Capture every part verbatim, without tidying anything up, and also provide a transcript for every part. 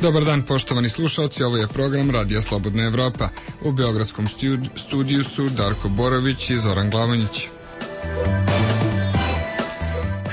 Dobar dan, poštovani slušalci, ovo je program Radija Slobodna Evropa. U beogradskom studiju su Darko Borović i Zoran Glavanjić.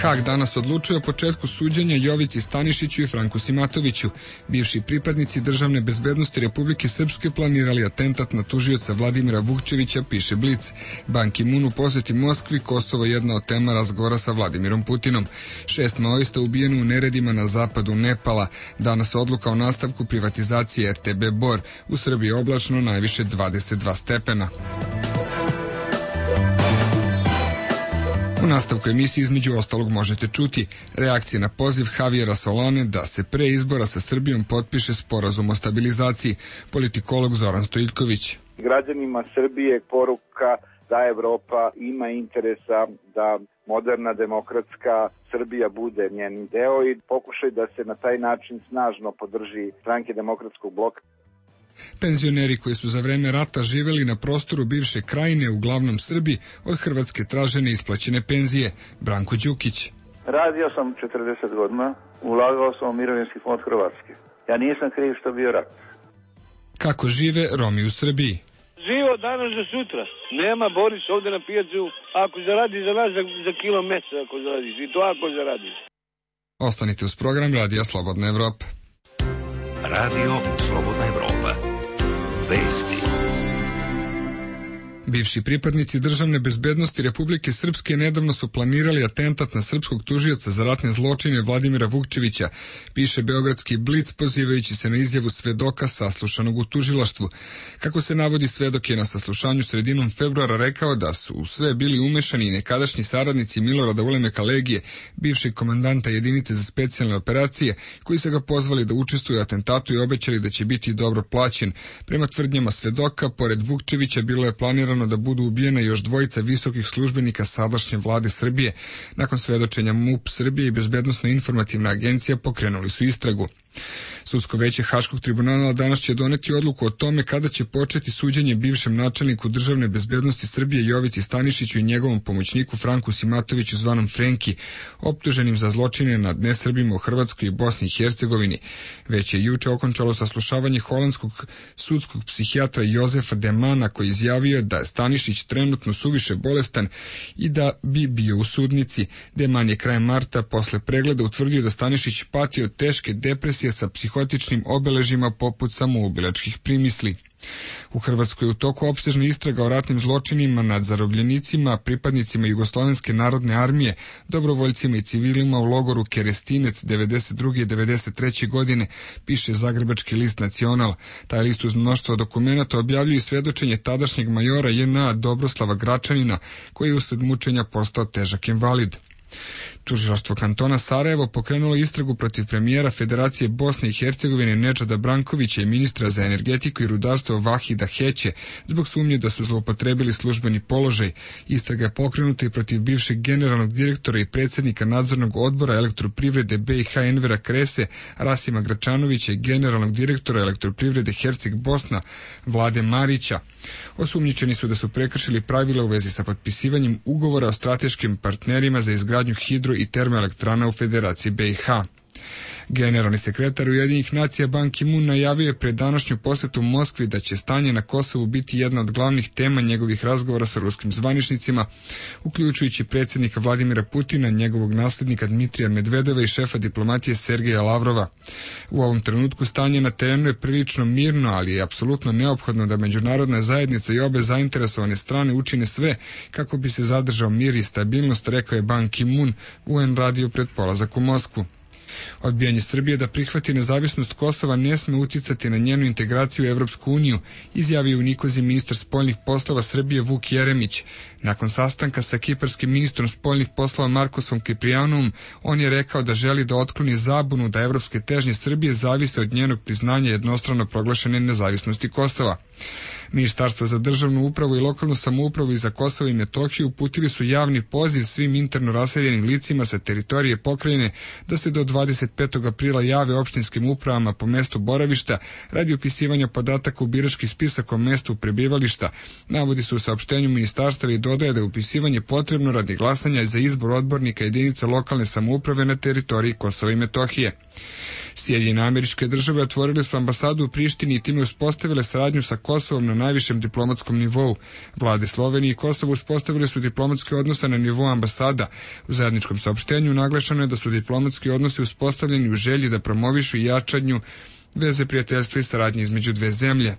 Hag danas odlučuje o početku suđenja Jovici Stanišiću i Franku Simatoviću. Bivši pripadnici državne bezbednosti Republike Srpske planirali atentat na tužioca Vladimira Vukčevića, piše Blic. Ban Ki-moon u poseti Moskvi, Kosovo je jedna od tema razgovora sa Vladimirom Putinom. Šest maoista ubijeno u neredima na zapadu Nepala. Danas odluka o nastavku privatizacije er te be Bor. U Srbiji oblačno, najviše dvadeset dva stepena. U nastavku emisije između ostalog možete čuti reakcije na poziv Javijera Solane da se pre izbora sa Srbijom potpiše sporazum o stabilizaciji, politikolog Zoran Stojiljković. Građanima Srbije poruka da Evropa ima interesa da moderna demokratska Srbija bude njen deo i pokušaj da se na taj način snažno podrži stranke demokratskog bloka. Penzioneri koji su za vreme rata živeli na prostoru bivše krajine, uglavnom Srbi, od Hrvatske traže neisplaćene penzije. Branko Đukić. Radio sam četrdeset godina, ulagao sam u mirovinski fond Hrvatske. Ja nisam kriv što bio rat. Kako žive Romi u Srbiji? Živo danas do sutra. Nema Boris ovde na pijacu. Ako zaradi za nas za, za kilo mesa, ako zaradiš. I to ako zaradiš. Ostanite uz program Radija Slobodna Evropa. Radio Slobodna Evropa. Vesti. Bivši pripadnici državne bezbednosti Republike Srpske nedavno su planirali atentat na srpskog tužioca za ratne zločine Vladimira Vukčevića, piše beogradski Blic pozivajući se na izjavu svedoka saslušanog u tužilaštvu. Kako se navodi, svedok je na saslušanju sredinom februara rekao da su u sve bili umešani nekadašnji saradnici Milorada Ulemeka Legije, bivšeg komandanta jedinice za specijalne operacije, koji su ga pozvali da učestvuju u atentatu i obećali da će biti dobro plaćen. Prema tvrdnjama svedoka, pored Vukčevića bilo je planirano da budu ubijena još dvojica visokih službenika sadašnje vlade Srbije. Nakon svedočenja M U P Srbije i Bezbednosno-informativna agencija pokrenuli su istragu. Sudsko veće Haškog tribunala danas će doneti odluku o tome kada će početi suđenje bivšem načelniku državne bezbednosti Srbije Jovici Stanišiću i njegovom pomoćniku Franku Simatoviću zvanom Frenki, optuženim za zločine nad nesrbima u Hrvatskoj i Bosni i Hercegovini. Već je juče okončalo saslušavanje holandskog sudskog psihijatra Jozefa Demana, koji izjavio da je Stanišić trenutno suviše bolestan i da bi bio u sudnici. Deman je krajem marta posle pregleda utvrdio da Stanišić pati od teške depresije sa psihotičnim obeležima poput samoubilačkih primisli. U Hrvatskoj je u toku opsežna istraga o ratnim zločinima nad zarobljenicima, pripadnicima Jugoslovenske narodne armije, dobrovoljcima i civilima u logoru Kerestinec devedeset druge i devedeset treće godine, piše zagrebački list Nacional. Taj list uz mnoštvo dokumenata objavljuje svedočenje tadašnjeg majora J N A Dobroslava Gračanina, koji je usled mučenja postao težak invalid. Tužilaštvo kantona Sarajevo pokrenulo istragu protiv premijera Federacije Bosne i Hercegovine Nedžada Brankovića i ministra za energetiku i rudarstvo Vahida Heće zbog sumnje da su zloupotrebili službeni položaj. Istraga je pokrenuta i protiv bivšeg generalnog direktora i predsjednika nadzornog odbora Elektroprivrede B i H Envera Krese Rasima Gračanovića i generalnog direktora Elektroprivrede Herceg Bosna Vlade Marića. Osumnjičeni su da su prekršili pravila u vezi sa potpisivanjem ugovora o strateškim partnerima za izgradnju hidro i termoelektrana u Federaciji B i H. Generalni sekretar Ujedinjenih nacija Ban Ki-moon najavio je pred današnju posetu Moskvi da će stanje na Kosovu biti jedna od glavnih tema njegovih razgovora sa ruskim zvaničnicima, uključujući predsjednika Vladimira Putina, njegovog naslednika Dmitrija Medvedeva i šefa diplomatije Sergeja Lavrova. U ovom trenutku stanje na terenu je prilično mirno, ali je apsolutno neophodno da međunarodna zajednica i obe zainteresovane strane učine sve kako bi se zadržao mir i stabilnost, rekao je Ban Ki-moon U N radio pred polazak u Moskvu. Odbijanje Srbije da prihvati nezavisnost Kosova ne sme uticati na njenu integraciju u Evropsku uniju, izjavio u Nikozi ministar spoljnih poslova Srbije Vuk Jeremić. Nakon sastanka sa kiparskim ministrom spoljnih poslova Markosom Kiprijanom, on je rekao da želi da otkloni zabunu da evropske težnje Srbije zavise od njenog priznanja jednostrano proglašene nezavisnosti Kosova. Ministarstva za državnu upravu i lokalnu samoupravu i za Kosovo i Metohiju uputili su javni poziv svim interno raseljenim licima sa teritorije pokrajine da se do dvadeset petog aprila jave opštinskim upravama po mestu boravišta radi upisivanja podataka u birački spisak o mestu prebivališta. Navodi se u saopštenju ministarstva i dodaje da je upisivanje potrebno radi glasanja za izbor odbornika jedinica lokalne samouprave na teritoriji Kosova i Metohije. Sjedinjene Američke Države otvorile su ambasadu u Prištini i time uspostavile saradnju sa Kosovom na najvišem diplomatskom nivou. Vlade Slovenije i Kosova uspostavile su diplomatske odnose na nivou ambasada. U zajedničkom saopštenju naglašeno je da su diplomatski odnosi uspostavljeni u želji da promovišu i jačanju veze prijateljstva i saradnje između dve zemlje.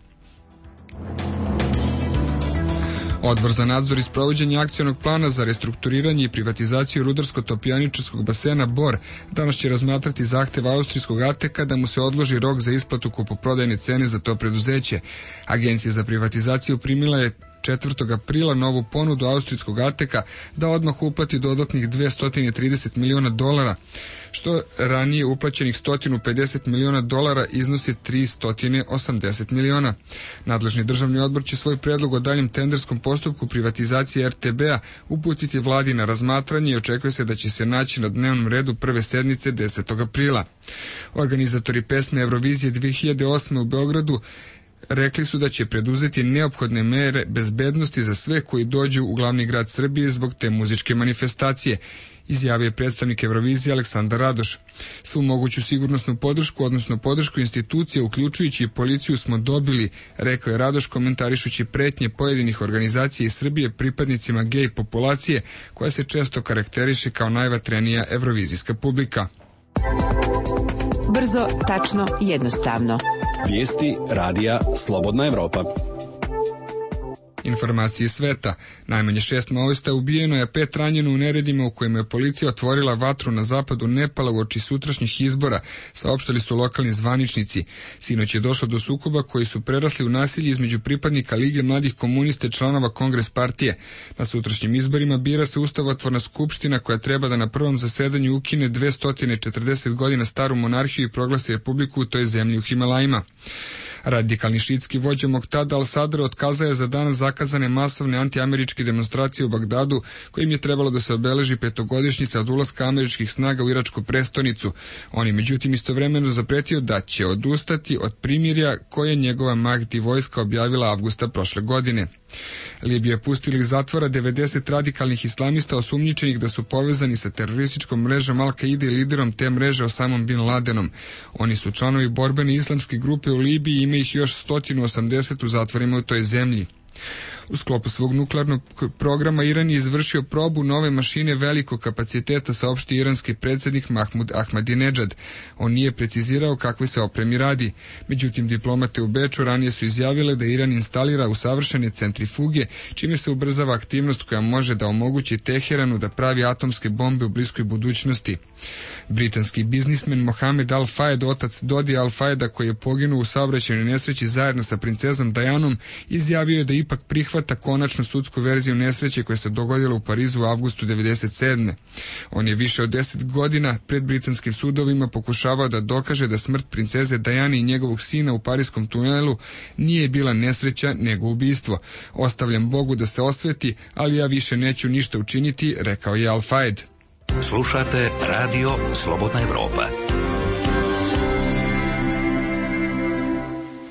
Odbor za nadzor i sprovođenje akcionog plana za restrukturiranje i privatizaciju rudarsko-topijaničarskog basena Bor danas će razmatrati zahtev austrijskog Ateka da mu se odloži rok za isplatu kupoprodajne cene za to preduzeće. Agencija za privatizaciju primila je četvrtog aprila novu ponudu austrijskog Ateka da odmah uplati dodatnih dvesta trideset miliona dolara, što ranije uplaćenih sto pedeset miliona dolara iznosi tristo osamdeset miliona. Nadležni državni odbor će svoj predlog o daljem tenderskom postupku privatizacije er te be-a uputiti vladi na razmatranje i očekuje se da će se naći na dnevnom redu prve sednice desetog aprila. Organizatori pesme Eurovizije dve hiljade osme u Beogradu rekli su da će preduzeti neophodne mere bezbednosti za sve koji dođu u glavni grad Srbije zbog te muzičke manifestacije, izjavio je predstavnik Eurovizije Aleksandar Radoš. Svu moguću sigurnosnu podršku, odnosno podršku institucija, uključujući i policiju, smo dobili, rekao je Radoš komentarišući pretnje pojedinih organizacija iz Srbije pripadnicima gej populacije, koja se često karakteriše kao najvatrenija evrovizijska publika. Brzo, tačno, jednostavno. Vijesti radija Slobodna Evropa. Informacije sveta. Najmanje šest maoista ubijeno je, a pet ranjeno u neredima u kojima je policija otvorila vatru na zapadu Nepala uoči sutrašnjih izbora, saopštili su lokalni zvaničnici. Sinoć je došlo do sukoba koji su prerasli u nasilje između pripadnika Lige mladih komunista i članova Kongres partije. Na sutrašnjim izborima bira se ustavotvorna skupština koja treba da na prvom zasedanju ukine dvesta četrdeset godina staru monarhiju i proglasi republiku u toj zemlji u Himalajima. Radikalni šiitski vođa Moktada al-Sadr otkazao je za danas zakazane masovne antiameričke demonstracije u Bagdadu, kojim je trebalo da se obeleži petogodišnjica od ulaska američkih snaga u iračku prestonicu. On je međutim istovremeno zapretio da će odustati od primirja koje njegova Mahdi vojska objavila avgusta prošle godine. Libija je pustila iz zatvora devedeset radikalnih islamista osumnjičenih da su povezani sa terorističkom mrežom Al-Kaide i liderom te mreže Osamom bin Ladenom. Oni su članovi borbene islamske grupe u Libiji i ima ih još sto osamdeset u zatvorima u toj zemlji. U sklopu svog nuklearnog programa Iran je izvršio probu nove mašine velikog kapaciteta, saopšti iranski predsjednik Mahmud Ahmadinejad. On nije precizirao kakve se opremi radi. Međutim, diplomate u Beču ranije su izjavile da Iran instalira usavršene centrifuge, čime se ubrzava aktivnost koja može da omogući Teheranu da pravi atomske bombe u bliskoj budućnosti. Britanski biznismen Mohamed Al-Fayed, otac Dodi Al-Fayeda, koji je poginuo u saobraćajnoj nesreći zajedno sa princezom Dajanom, izjavio je da ipak prihvata konačnu sudsku verziju nesreće koja se dogodila u Parizu u avgustu devedeset sedme. On je više od deset godina pred britanskim sudovima pokušavao da dokaže da smrt princeze Dajane i njegovog sina u pariskom tunelu nije bila nesreća nego ubistvo. Ostavljam Bogu da se osveti, ali ja više neću ništa učiniti, rekao je Al-Fayed. Slušate radio Slobodna Evropa.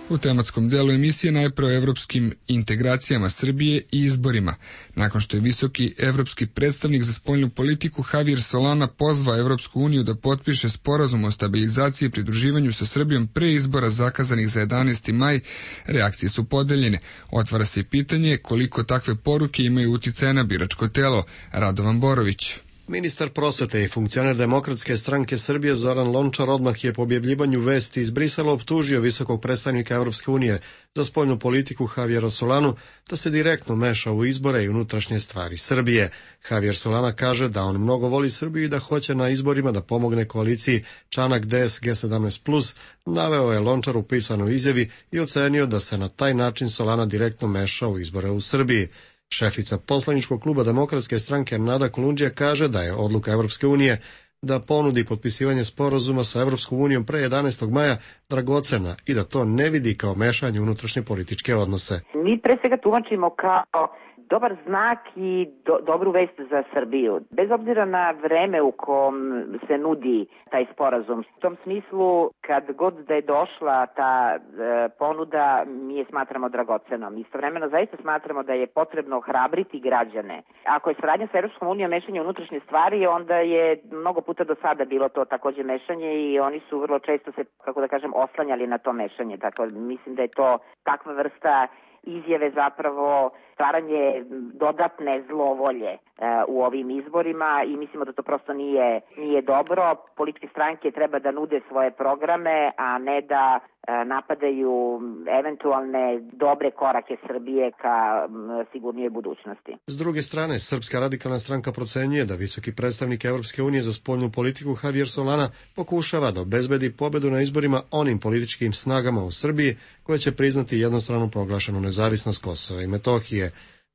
U tematskom delu emisije najpre o evropskim integracijama Srbije i izborima. Nakon što je visoki evropski predstavnik za spoljnu politiku Javier Solana pozvao Evropsku uniju da potpiše sporazum o stabilizaciji i pridruživanju sa Srbijom pre izbora zakazanih za jedanaesti maj, reakcije su podeljene. Otvara se pitanje koliko takve poruke imaju uticaja na biračko telo. Radovan Borović. Ministar prosvete i funkcioner Demokratske stranke Srbije Zoran Lončar odmah je po objavljivanju vesti iz Brisela optužio visokog predstavnika Evropske unije za spoljnu politiku Javiera Solanu da se direktno meša u izbore i unutrašnje stvari Srbije. Javier Solana kaže da on mnogo voli Srbiju i da hoće na izborima da pomogne koaliciji Čanak D S G sedamnaest plus, naveo je Lončar u pisanoj izjavi i ocenio da se na taj način Solana direktno meša u izbore u Srbiji. Šefica poslaničkog kluba Demokratske stranke Nada Kolundžija kaže da je odluka Evropske unije da ponudi potpisivanje sporazuma sa Evropskom unijom pre jedanaestog maja dragocena i da to ne vidi kao mešanje u unutrašnje političke odnose. Mi pre svega tumačimo kao dobar znak i do, dobru vest za Srbiju. Bez obzira na vreme u kom se nudi taj sporazum. U tom smislu, kad god da je došla ta e, ponuda, mi je smatramo dragocenom. Istovremeno zaista smatramo da je potrebno hrabriti građane. Ako je saradnja sa Evropskom unijom mešanje u unutrašnje stvari, onda je mnogo puta do sada bilo to takođe mešanje i oni su vrlo često se, kako da kažem, oslanjali na to mešanje. Dakle, mislim da je to takva vrsta izjave zapravo stvaranje dodatne zlovolje e, u ovim izborima i mislimo da to prosto nije, nije dobro. Političke stranke treba da nude svoje programe, a ne da e, napadaju eventualne dobre korake Srbije ka m, sigurnijoj budućnosti. S druge strane, Srpska radikalna stranka procenjuje da visoki predstavnik Evropske unije za spoljnu politiku Javier Solana pokušava da obezbedi pobedu na izborima onim političkim snagama u Srbiji koje će priznati jednostrano proglašenu nezavisnost Kosova i Metohije.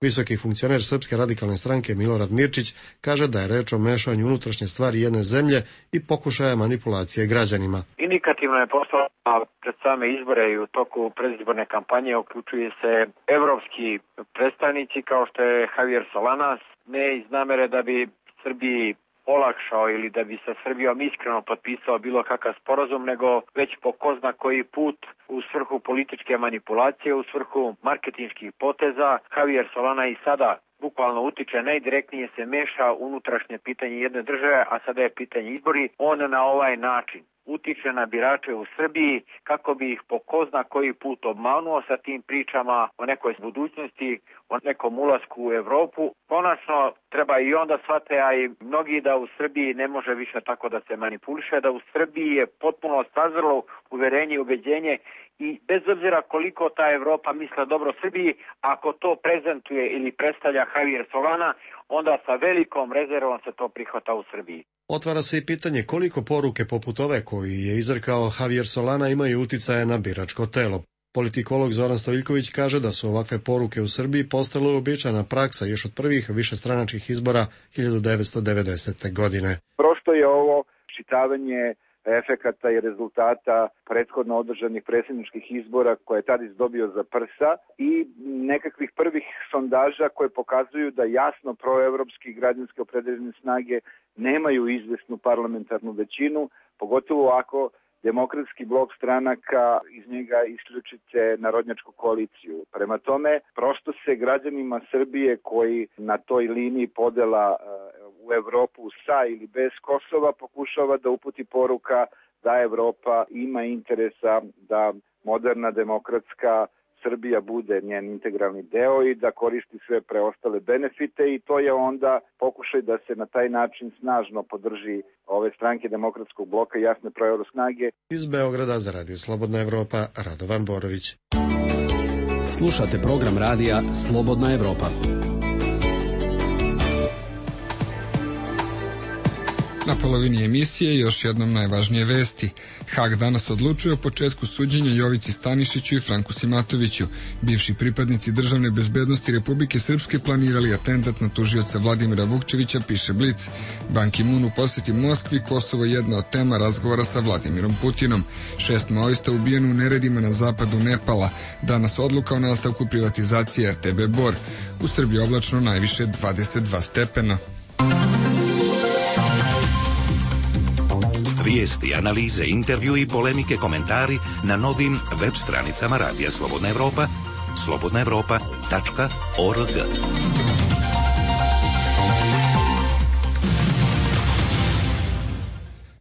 Visoki funkcioner Srpske radikalne stranke Milorad Mirčić kaže da je reč o mešanju unutrašnje stvari jedne zemlje i pokušaja manipulacije građanima. Indikativno je postalo pred same izbore i u toku predizborne kampanje uključuje se evropski predstavnici kao što je Javier Solana, ne iz namere da bi Srbiji olakšao ili da bi sa Srbijom iskreno potpisao bilo kakav sporazum, nego već po ko zna koji put u svrhu političke manipulacije, u svrhu marketinških poteza. Javier Solana i sada bukvalno utiče, najdirektnije se meša unutrašnje pitanje jedne države, a sada je pitanje izbori. On na ovaj način utiče na birače u Srbiji kako bi ih po ko zna koji put obmanuo sa tim pričama o nekoj budućnosti, o nekom ulasku u Evropu. Konačno treba i onda shvate, a i mnogi, da u Srbiji ne može više tako da se manipuliše, da u Srbiji je potpuno sazrelo uverenje i ubeđenje i bez obzira koliko ta Evropa misle dobro Srbiji, ako to prezentuje ili predstavlja Javier Solana, onda sa velikom rezervom se to prihvata u Srbiji. Otvara se i pitanje koliko poruke poput ove koji je izrekao Javier Solana imaju uticaja na biračko telo. Politikolog Zoran Stojiljković kaže da su ovakve poruke u Srbiji postale uobičajena praksa još od prvih višestranačkih izbora hiljadu devetsto devedesete. godine. Prosto je ovo čitavanje efekata i rezultata prethodno održanih predsjedničkih izbora koje je Tadić dobio za prsa i nekakvih prvih sondaža koje pokazuju da jasno proevropski građanske opredeljene snage nemaju izvesnu parlamentarnu većinu, pogotovo ako demokratski blok stranaka iz njega isključite narodnjačku koaliciju. Prema tome, prosto se građanima Srbije koji na toj liniji podela u Evropu sa ili bez Kosova pokušava da uputi poruka da Evropa ima interesa da moderna demokratska Srbija bude njen integralni deo i da koristi sve preostale benefite i to je onda pokušaj da se na taj način snažno podrži ove stranke demokratskog bloka i jasne proevro snage. Iz Beograda za Radio Slobodna Evropa, Radovan Borović. Slušate program radija Slobodna Evropa. Na polovini emisije još jednom najvažnije vesti. Hag danas odlučuje o početku suđenja Jovici Stanišiću i Franku Simatoviću. Bivši pripadnici državne bezbednosti Republike Srpske planirali atentat na tužioca Vladimira Vukčevića, piše Blic. Ban Ki-moon u poseti Moskvi, Kosovo je jedna od tema razgovora sa Vladimirom Putinom. Šest maoista ubijeno u neredima na zapadu Nepala. Danas odluka o nastavku privatizacije R T B Bor. U Srbiji oblačno najviše dvadeset dva stepena. Vijesti, analize, intervju i polemike, komentari na novim web stranicama Radija Slobodna Evropa, slobodna evropa tačka org.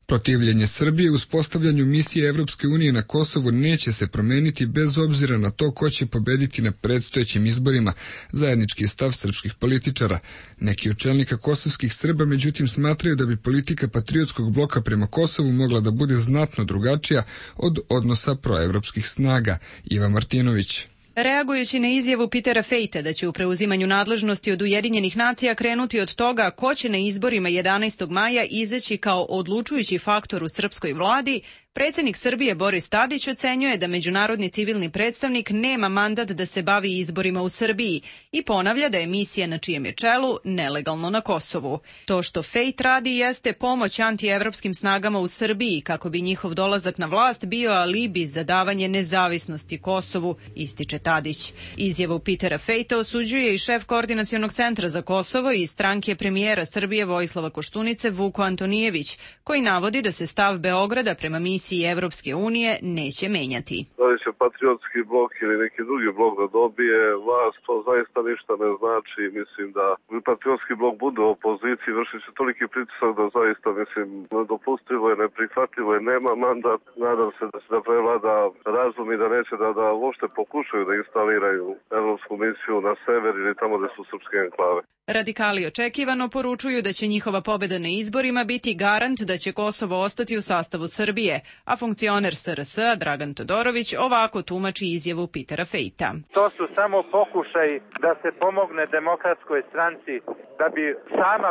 Protivljenje Srbije uspostavljanju misije Evropske unije na Kosovu neće se promeniti bez obzira na to ko će pobediti na predstojećim izborima, zajednički je stav srpskih političara. Neki od čelnika kosovskih Srba međutim smatraju da bi politika patriotskog bloka prema Kosovu mogla da bude znatno drugačija od odnosa proevropskih snaga. Iva Martinović. Reagujući na izjavu Petera Fejta da će u preuzimanju nadležnosti od Ujedinjenih nacija krenuti od toga ko će na izborima jedanaestog maja izaći kao odlučujući faktor u srpskoj vladi, Predsjednik Srbije Boris Tadić ocenjuje da međunarodni civilni predstavnik nema mandat da se bavi izborima u Srbiji i ponavlja da je misija na čijem je čelu nelegalno na Kosovu. To što Fejt radi jeste pomoć antievropskim snagama u Srbiji kako bi njihov dolazak na vlast bio alibi za davanje nezavisnosti Kosovu, ističe Tadić. Izjavu Petera Fejta osuđuje i šef Koordinacionog centra za Kosovo i stranke premijera Srbije Vojislava Koštunice Vuko Antonijević, koji navodi da se stav Beograda prema misiji Evropske unije neće menjati. Da li će patriotski blok ili neki drugi blok da dobije vlast, to zaista ništa ne znači. Mislim da patriotski blok bude u opoziciji, vrši se toliki pritisak da zaista, mislim, nedopustivo je, neprihvatljivo je, nema mandat. Nadam se da se da prevlada razum i da neće da, da uopšte pokušaju da instaliraju evropsku misiju na sever ili tamo gde su srpske enklave. Radikali očekivano poručuju da će njihova pobeda na izborima biti garant da će Kosovo ostati u sastavu Srbije, a funkcioner S R S-a Dragan Todorović ovako tumači izjavu Petera Fejta. To su samo pokušaj da se pomogne Demokratskoj stranci da bi sama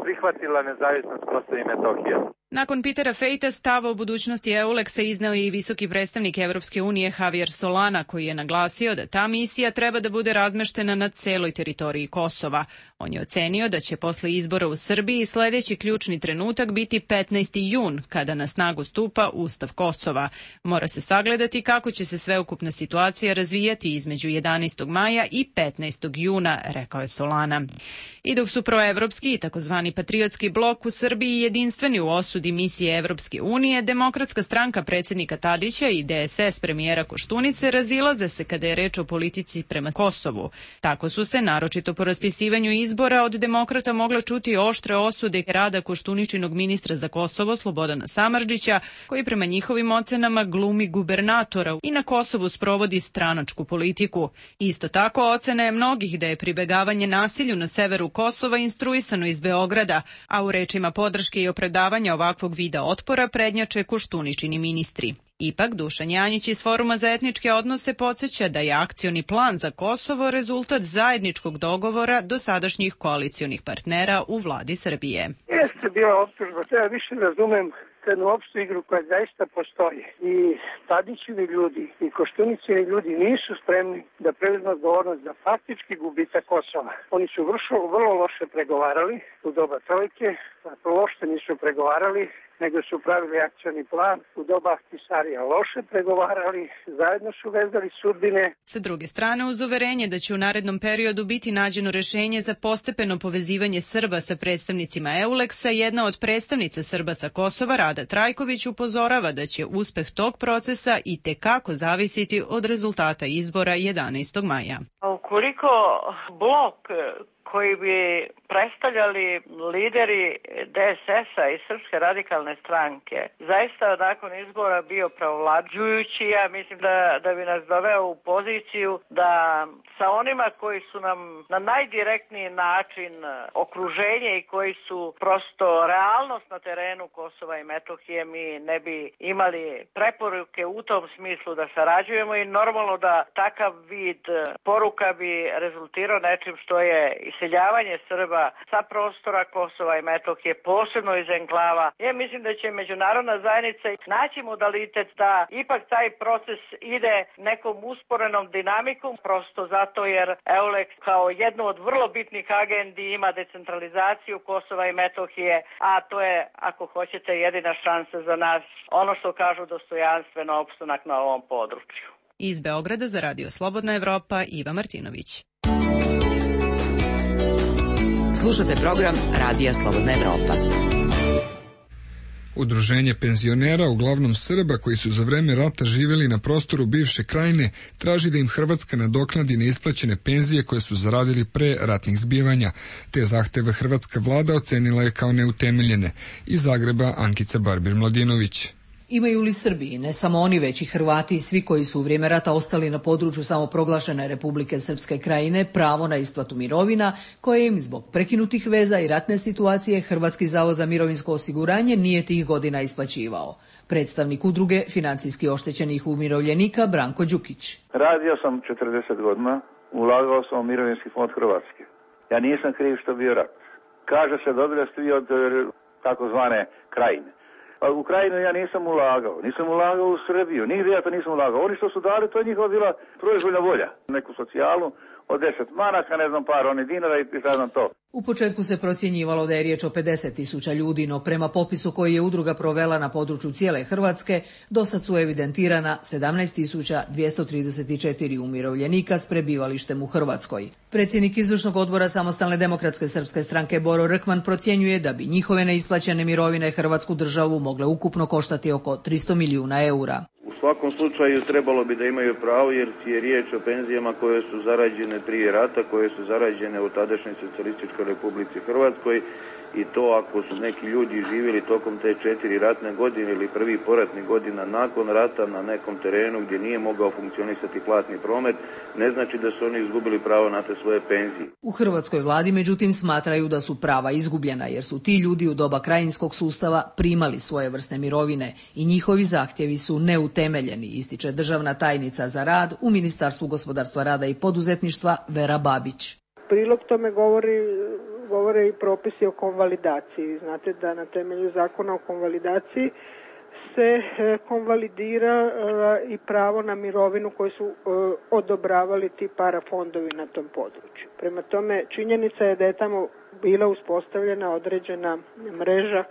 prihvatila nezavisnost Kosova i Metohije. Nakon Petera Fejta stav o budućnosti EULEX-a izneo i visoki predstavnik Evropske unije Javier Solana, koji je naglasio da ta misija treba da bude razmeštena na celoj teritoriji Kosova. On je ocenio da će posle izbora u Srbiji sledeći ključni trenutak biti petnaesti jun, kada na snagu stupa Ustav Kosova. Mora se sagledati kako će se sveukupna situacija razvijati između jedanaestog maja i petnaestog juna, rekao je Solana. I dok su proevropski i takozvani patriotski blok u Srbiji jedinstveni u osudi misije Evropske unije, Demokratska stranka predsjednika Tadića i D S S premijera Koštunice razilaze se kada je reč o politici prema Kosovu. Tako su se, naročito po raspisivanju izbora, od demokrata mogla čuti oštre osude rada Koštuničinog ministra za Kosovo Slobodana Samardžića, koji prema njihovim ocenama glumi gubernatora i na Kosovu sprovodi stranačku politiku. Isto tako ocena je mnogih da je pribegavanje nasilju na severu Kosova instruisano iz Beograda, a u rečima podrške i opravdavanja ovakvog vida otpora prednjače Koštuničini ministri. Ipak, Dušan Janjić iz Foruma za etničke odnose podsjeća da je akcioni plan za Kosovo rezultat zajedničkog dogovora dosadašnjih koalicionih partnera u vladi Srbije. Jeste bila optužba, ja više razumem jednu opštu igru koja zaista postoji. I Tadićevi ljudi i Koštunićevi ljudi nisu spremni da preuzmu odgovornost za faktički gubitak Kosova. Oni su vrlo, vrlo loše pregovarali u doba trojke, loše nisu pregovarali, nego su pravili akcioni plan, u doba Ahtisarija loše pregovarali, zajedno su vezali sudbine. Sa druge strane, uz uverenje da će u narednom periodu biti nađeno rešenje za postepeno povezivanje Srba sa predstavnicima EULEX-a, jedna od predstavnica Srba sa Kosova, Rada Trajković, upozorava da će uspeh tog procesa i tekako zavisiti od rezultata izbora jedanaestog maja. Ukoliko blok koji bi predstavljali lideri D S S-a i Srpske radikalne stranke zaista nakon izbora bio pravovlađujući, ja mislim da, da bi nas doveo u poziciju da sa onima koji su nam na najdirektniji način okruženje i koji su prosto realnost na terenu Kosova i Metohije, mi ne bi imali preporuke u tom smislu da sarađujemo i normalno da takav vid poruka bi rezultirao nečim što je iseljavanje Srba sa prostora Kosova i Metohije, posebno iz enklava. Ja mislim da će međunarodna zajednica naći modalitet da ipak taj proces ide nekom usporenom dinamikom, prosto zato jer EULEX kao jednu od vrlo bitnih agendi ima decentralizaciju Kosova i Metohije, a to je, ako hoćete, jedina šansa za nas, ono što kažu dostojanstveno opstanak na ovom području. Iz Beograda za Radio Slobodna Evropa, Iva Martinović. Slušate program Radija Slobodna Evropa. Udruženje penzionera, uglavnom Srba koji su za vreme rata živjeli na prostoru bivše krajine, traži da im Hrvatska nadoknadi neisplaćene penzije koje su zaradili pre ratnih zbivanja. Te zahteve hrvatska vlada ocenila je kao neutemeljene. Iz Zagreba Ankica Barbir-Mladinović. Imaju li Srbiji, ne samo oni već i Hrvati i svi koji su u vrijeme rata ostali na području samoproglašene Republike Srpske krajine, pravo na isplatu mirovina koje im zbog prekinutih veza i ratne situacije Hrvatski zavod za mirovinsko osiguranje nije tih godina isplaćivao? Predstavnik udruge financijski oštećenih umirovljenika Branko Đukić. Radio sam četrdeset godina, ulagao sam u mirovinski fond Hrvatske. Ja nisam kriv što bio rat. Kaže se dobili ste vi od takozvane krajine. A u Krajinu ja nisam ulagao, nisam ulagao u Srbiju, nigdje ja to nisam ulagao. Oni što su dali, to je njihova bila proizvoljna volja. Neku socijalu od deset maraka, ne znam, par oni dinara i šta znam to. U početku se procjenjivalo da je riječ o pedeset tisuća ljudi, no prema popisu koji je udruga provela na području cijele Hrvatske, dosad su evidentirana sedamnaest tisuća dvjesto trideset četiri umirovljenika s prebivalištem u Hrvatskoj. Predsjednik izvršnog odbora Samostalne demokratske srpske stranke Boro Rkman procjenjuje da bi njihove neisplaćene mirovine Hrvatsku državu mogle ukupno koštati oko tristo milijuna eura. U svakom slučaju trebalo bi da imaju pravo jer je riječ o penzijama koje su zarađene prije rata, koje su zarađene u tadašnjoj socijalističkoj Republici Hrvatskoj i to ako su neki ljudi živjeli tokom te četiri ratne godine ili prvi poratni godina nakon rata na nekom terenu gdje nije mogao funkcionisati platni promet, ne znači da su oni izgubili pravo na te svoje penzije. U hrvatskoj vladi međutim smatraju da su prava izgubljena jer su ti ljudi u doba krajinskog sustava primali svoje vrste mirovine i njihovi zahtjevi su neutemeljeni, ističe državna tajnica za rad u Ministarstvu gospodarstva, rada i poduzetništva Vera Babić. Prilog tome govori govore i propisi o konvalidaciji. Znate da na temelju zakona o konvalidaciji se konvalidira i pravo na mirovinu koju su odobravali ti parafondovi na tom području. Prema tome, činjenica je da je tamo bila uspostavljena određena mreža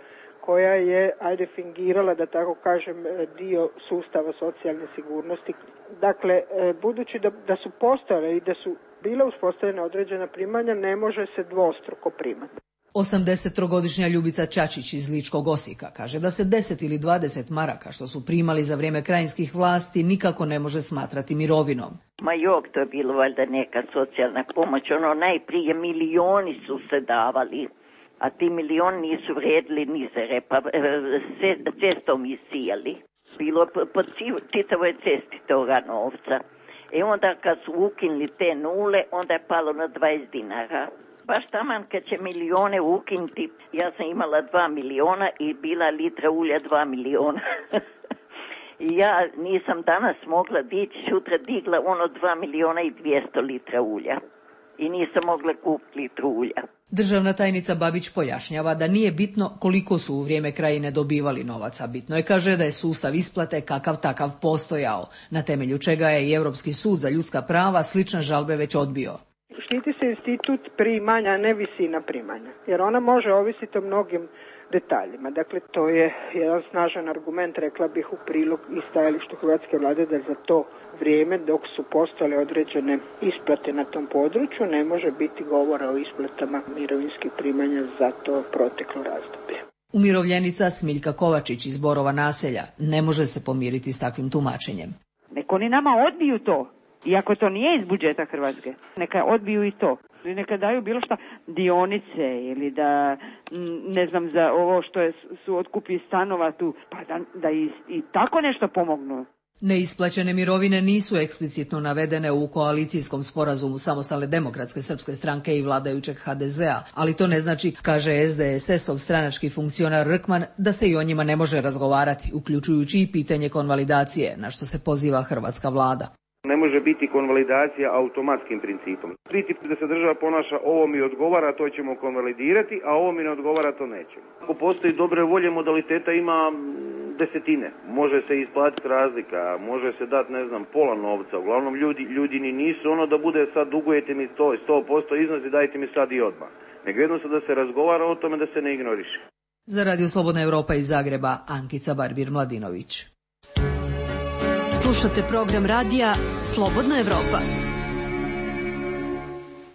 koja je, ajde, fingirala, da tako kažem, dio sustava socijalne sigurnosti. Dakle, budući da, da su postojale i da su bila uspostavljena određena primanja, ne može se dvostruko primati. osamdesettrogodišnja Ljubica Čačić iz Ličkog Osijeka kaže da se deset ili dvadeset maraka što su primali za vrijeme krajinskih vlasti nikako ne može smatrati mirovinom. Ma jok, to je bilo valjda neka socijalna pomoć. Ono, najprije milioni su se davali, a ti milioni nisu vrijedili ni za repa, cestom isijali. Bilo po čitavoj cesti toga novca. I onda kad su ukinuli te nule, onda je palo na dvadeset dinara. Baš taman kad će milijone ukinuti, ja sam imala dva miliona i bila litra ulja dva miliona. I ja nisam danas mogla dići, sutra digla ono dva miliona i dvjesto litra ulja. I nisam mogla kupiti litru ulja. Državna tajnica Babić pojašnjava da nije bitno koliko su u vrijeme krajine dobivali novaca. Bitno je, kaže, da je sustav isplate kakav takav postojao, na temelju čega je i Europski sud za ljudska prava slične žalbe već odbio. Štiti se institut primanja, a ne visina primanja, jer ona može ovisiti o mnogim detaljima. Dakle, to je jedan snažan argument, rekla bih, u prilog i stajalištu hrvatske vlade da za to vrijeme dok su postojale određene isplate na tom području ne može biti govora o isplatama mirovinskih primanja za to proteklo razdoblje. Umirovljenica Smiljka Kovačić iz Borova naselja ne može se pomiriti s takvim tumačenjem. Nek oni nama odbiju to, iako to nije iz budžeta Hrvatske. Neka odbiju i to. Neka daju bilo šta, dionice ili da, ne znam, za ovo što je, su otkupi stanova tu, pa da, da i, i tako nešto pomognu. Neisplaćene mirovine nisu eksplicitno navedene u koalicijskom sporazumu Samostalne demokratske srpske stranke i vladajućeg ha de zea, ali to ne znači, kaže es de es es-ov stranački funkcionar Rkman, da se i o njima ne može razgovarati, uključujući i pitanje konvalidacije, na što se poziva hrvatska vlada. Ne može biti konvalidacija automatskim principom. Princip da se država ponaša, ovo mi odgovara, to ćemo konvalidirati, a ovo mi ne odgovara, to nećemo. Ako postoji dobre volje, modaliteta ima desetine. Može se isplatiti razlika, može se dati, ne znam, pola novca. Uglavnom, ljudi, ljudi ni nisu ono da bude sad dugujete mi sto, sto posto iznosi, dajte mi sad i odmah. Nego jednostavno da se razgovara o tome, da se ne ignoriše. Za Radio Slobodna Evropa iz Zagreba, Ankica Barbir-Mladinović. Slušate program radija Slobodna Evropa.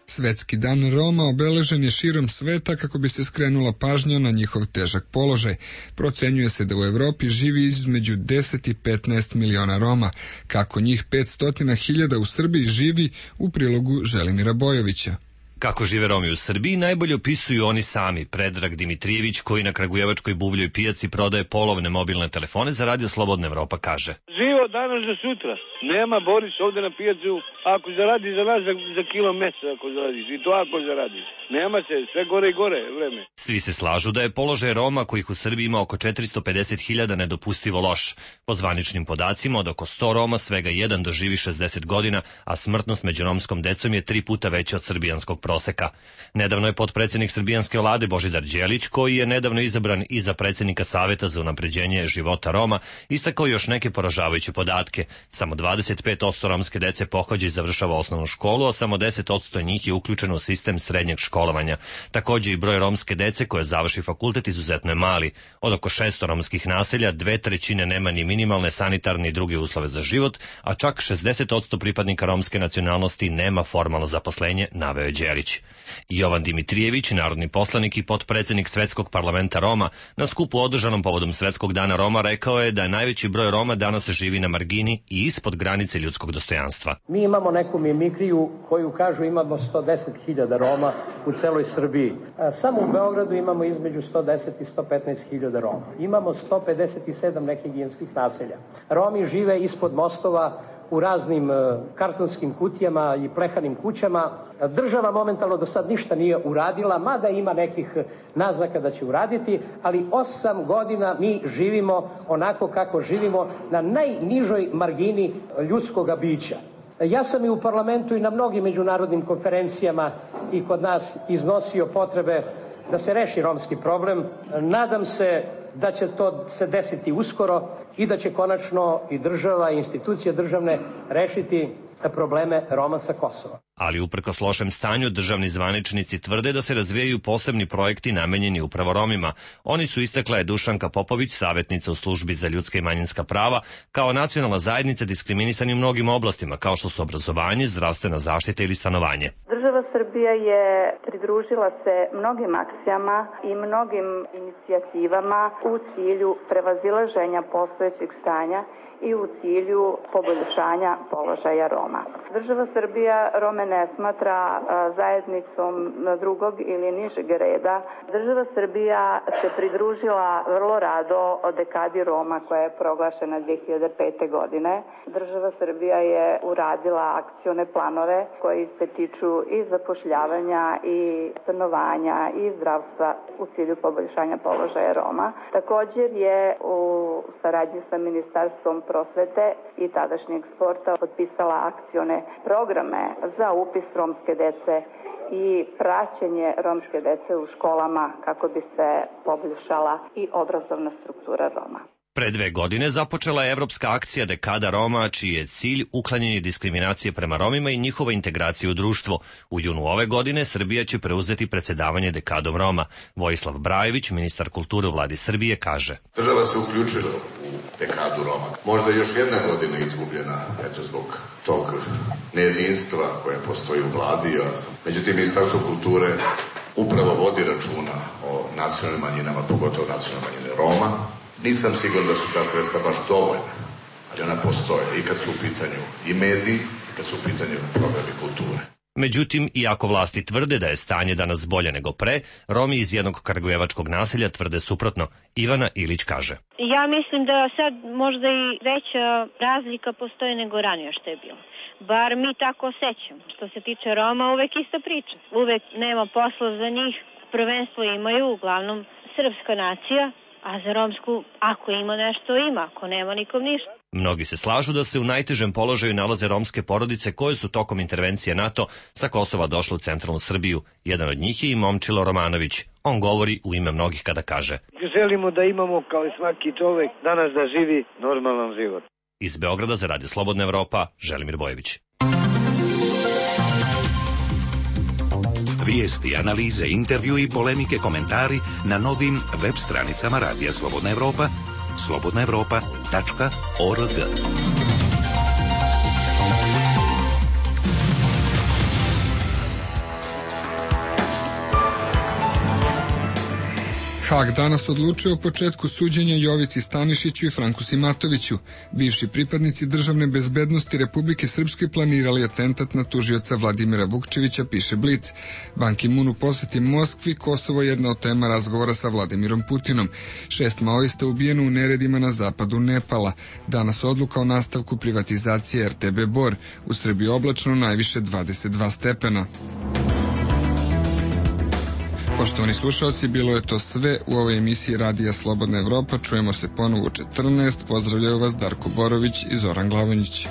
Svetski dan Roma obeležen je širom sveta kako bi se skrenula pažnja na njihov težak položaj. Procenjuje se da u Evropi živi između deset i petnaest miliona Roma. Kako njih petsto hiljada u Srbiji živi, u prilogu Želimira Bojovića. Kako žive Romi u Srbiji najbolje opisuju oni sami. Predrag Dimitrijević, koji na kragujevačkoj buvljoj pijaci prodaje polovne mobilne telefone za Radio Slobodna Evropa, kaže: Život danas za sutra. Nema Boris ovde na pijacu, ako zaradi za nas za, za kilo mesa, ako zaradiš, i to ako zaradiš. Nema se, sve gore i gore vreme. Svi se slažu da je položaj Roma, kojih u Srbiji ima oko četiristo pedeset hiljada, nedopustivo loš. Po zvaničnim podacima, od oko sto Roma svega jedan doživi šezdeset godina, a smrtnost među romskom decom je tri puta veća od srbijanskog proseka. Nedavno je potpredsednik srbijanske vlade Božidar Đelić, koji je nedavno izabran i za predsednika Saveta za unapređenje života Roma, istakao još neke poražavajuće podatke. Samo dvadeset pet posto romske dece pohađa i završava osnovnu školu, a samo deset posto njih je uključeno u sistem srednjeg školovanja. Takođe i broj romske dece koja završi fakultet izuzetno je mali. Od oko šesto romskih naselja, dve trećine nema ni minimalne sanitarne i druge uslove za život, a čak šezdeset posto pripadnika romske nacionalnosti nema formalno zaposlenje, naveo je Đelić. Jovan Dimitrijević, narodni poslanik i potpredsednik Svetskog parlamenta Roma, na skupu održanom povodom Svetskog dana Roma rekao je da je najveći broj Roma danas živi na margini i ispod granice ljudskog dostojanstva. Mi imamo neku mimikriju koju kažu imamo sto deset hiljada Roma u celoj Srbiji. Samo u Beogradu imamo između sto deset i sto petnaest hiljada Roma. Imamo sto pedeset sedam nehigijenskih naselja. Romi žive ispod mostova, u raznim kartonskim kutijama i plehanim kućama. Država momentalno do sad ništa nije uradila, mada ima nekih naznaka da će uraditi, ali osam godina mi živimo onako kako živimo na najnižoj margini ljudskoga bića. Ja sam i u parlamentu i na mnogim međunarodnim konferencijama i kod nas iznosio potrebe da se reši romski problem. Nadam se da će to se desiti uskoro i da će konačno i država i institucije državne rešiti probleme Roma sa Kosova. Ali uprkos lošem stanju, državni zvaničnici tvrde da se razvijaju posebni projekti namenjeni upravo Romima. Oni su, istakla je Dušanka Popović, savjetnica u službi za ljudska i manjinska prava, kao nacionalna zajednica diskriminisani u mnogim oblastima, kao što su obrazovanje, zdravstvena zaštita ili stanovanje. Država Srbija je pridružila se mnogim akcijama i mnogim inicijativama u cilju prevazilaženja postojećeg stanja i u cilju poboljšanja položaja Roma. Država Srbija Rome ne smatra zajednicom drugog ili nižeg reda. Država Srbija se pridružila vrlo rado o dekadi Roma koja je proglašena dve hiljade pete. godine. Država Srbija je uradila akcione planove koji se tiču i zapošljavanja i stanovanja i zdravstva u cilju poboljšanja položaja Roma. Također je u saradnji sa Ministarstvom prosvete i tadašnjeg sporta potpisala akcione programe za upis romske dece i praćenje romske dece u školama kako bi se poboljšala i obrazovna struktura Roma. Pre dve godine započela je evropska akcija Dekada Roma, čiji je cilj uklanjanje diskriminacije prema Romima i njihova integracija u društvo. U junu ove godine Srbija će preuzeti predsedavanje Dekadom Roma. Vojislav Brajević, ministar kulture u vladi Srbije, kaže: Država se uključila u Dekadu Roma. Možda još jedna godina izgubljena, eto, zbog tog nejedinstva koje postoji u vladi. Međutim, Ministarstvo kulture upravo vodi računa o nacionalnim manjinama, pogotovo nacionalne manjine Roma. Nisam siguran da su ta sredstva baš dovoljna, ali ona postoje i kad su u pitanju i mediji, i kad su u pitanju programi kulture. Međutim, iako vlasti tvrde da je stanje danas bolje nego pre, Romi iz jednog kragujevačkog naselja tvrde suprotno. Ivana Ilić kaže: Ja mislim da sad možda i veća razlika postoji nego ranije što je bilo. Bar mi tako osjećamo. Što se tiče Roma, uvek ista priča. Uvek nema posla za njih. Prvenstvo imaju uglavnom srpska nacija, a za romsku, ako ima nešto, ima, ako nema, nikom ništa. Mnogi se slažu da se u najtežem položaju nalaze romske porodice koje su tokom intervencije NATO sa Kosova došle u centralnu Srbiju. Jedan od njih je i Momčilo Romanović. On govori u ime mnogih kada kaže: Želimo da imamo, kao i svaki čovek, danas da živi normalan život. Iz Beograda za Radio Slobodna Evropa, Želimir Bojević. Vijesti, analize, intervju i polemike, komentari na novim web stranicama Radija Slobodna Evropa, slobodna evropa tačka org. Hag danas odlučuje o početku suđenja Jovici Stanišiću i Franku Simatoviću. Bivši pripadnici državne bezbednosti Republike Srpske planirali atentat na tužioca Vladimira Vukčevića, piše Blic. Ban Ki-moon u poseti Moskvi, Kosovo je jedna od tema razgovora sa Vladimirom Putinom. Šest maoista ubijeno u neredima na zapadu Nepala. Danas odluka o nastavku privatizacije er te be Bor. U Srbiji oblačno, najviše dvadeset dva stepena. Poštovani slušalci, bilo je to sve u ovoj emisiji Radija Slobodna Evropa. Čujemo se ponovo u četrnaest. Pozdravljaju vas Darko Borović i Zoran Glavonjić.